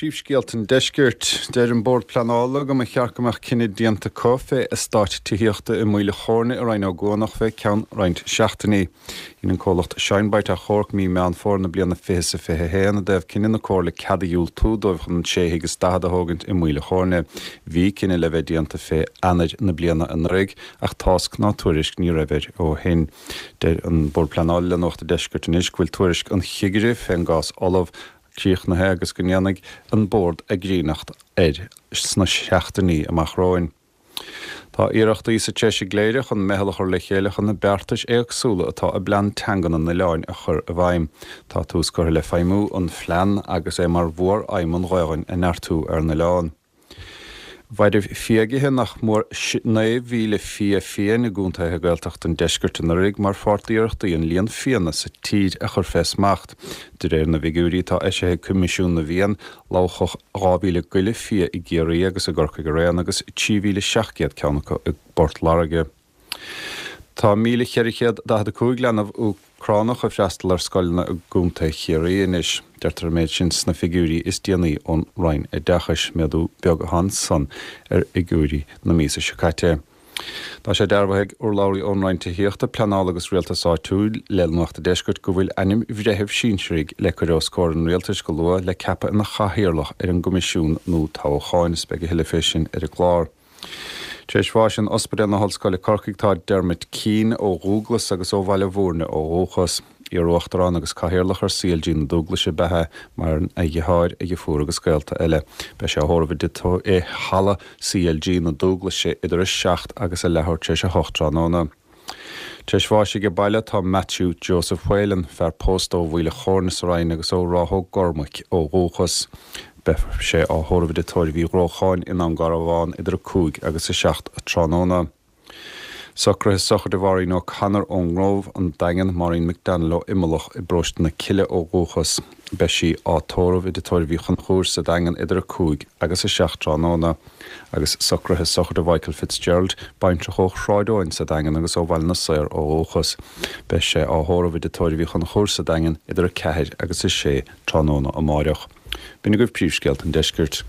Príomhscéalta an Deiscirt. Deir an Bord Pleanála go mba cheart go mbeadh cinneadh déanta acu fé eastáit tithíochta i Maoil a' Chóirne i Rinn Ó gCuanach fé ceann roinnt seachtainí. Dhein an comhlacht Shinebright achomharc mí Meán Fómhair na bliana 2021 i dtaobh cinneadh na Comhairle cead a dhiúltú dóibh chun an sé thigh is 40 a thógaint i Maoil a' Chóirne. Bhí cinneadh le bheith déanta fé Eanáir na bliana anuraidh ach tásc ná tuairisc ní raibh air ó shin. Deir an Bord Pleanála le Nuacht an Deiscirt anois go bhfuil tuairisc an chigire fén gcás ullamh críochnaithe agus go ndéanfaidh an Bord a gcríochnacht air sna seachtainí amach romhainn. Tá iarrachtaí sa treis i gCléire chun meitheal a chur le chéile chun na beartais éagsúla atá i bPlean Teanga na n-Oileáin a chur i bhfeidhm. Tá tús curtha le feidhmiú an phlean agus é mar mhór-aidhm an Ghaelainn a neartú ar an oileán. Mhairbh fiagaithe nach mór 9,000 fia fiáin i gcontaetha Gaeltachta an deiscirt anuraidh mar pháirt d'iarrachtaí an líon fianna sa tír a chur fé smacht. De réir na bhfigiúirí atá eisithe ag Coimisiún na bhFiann, lobhadh 2,000 goile fia i gCiarraí agus i gCorcaigh araon agus 3,700 ceann acu i bPort Láirge. Tá 1,445 leanbh Úcránach ag freastal ar scoileanna i gContae Chiarraí anois. Deirtear an méid sin sna figiúirí is déanaí ón Roinn Oideachais. Méadú beag atá ansan ar fhigiúirí na míosa seo caite. Tá sé dearbhaithe ag urlabhraí ón Roinn Tithíochta, Pleanála agus Rialtais Áitiúil le Nuacht an Deiscirt go bhfuil ainm bhreithimh sinsearaigh le cur os comhair an Rialtais go luath le ceapadh ina chathaoirleach ar an gCoimisiún nua Toghcháin. Is beidh a thuilleadh fé sin ar an gclár. Tar éis bháis in Ospidéal na hOllscoile Corcaigh tá Dermot Keane ó Dhúglas agus ó Bhaile Bhúirne ó dhúchas. Iar-Uachtarán agus Cathaoirleach ar CLG na Dúglaise ab ea é, maireann a dheartháir, a dheirfiúr agus gaolta eile. Beidh sé á thórramh i Halla CLG na Dúglaise idir a 7 agus a leathuair tar éis a 8 tráthnóna. Tar éis bháis aige baile tá Matthew Joseph Whelan, fear pósta ó Mhaoil a' Chóirne sa Rinn agus ó Ráth Ó gCormaic ó dhúchas. Beidh sé á thórramh i dTigh Tórraimh Uí Ghrócháin i nDún Garbhán idir 5 agus 7 tráthnóna. Socruithe sochraide Mháirín O'Connor ón nGrove, An Daingean, Maureen McDonnell ó Imileach i bparóiste na Cille ó dhúchas. Beidh sí á tórramh i dTigh Tórraimh Uí Chonchúir sa Daingean idir 5 agus 7 tráthnóna. Agus socruithe sochraide Mhichael Fitzgerald, baintreach ó Shráid Eoin sa Daingean agus ó Bhaile na Saor ó dhúchas. Beidh sé á thórramh i dTigh Tórraimh Uí Chonchúir sa Daingean idir 4 agus 6 tráthnóna amáireach. B'in agaibh príomhscéalta an deiscirt.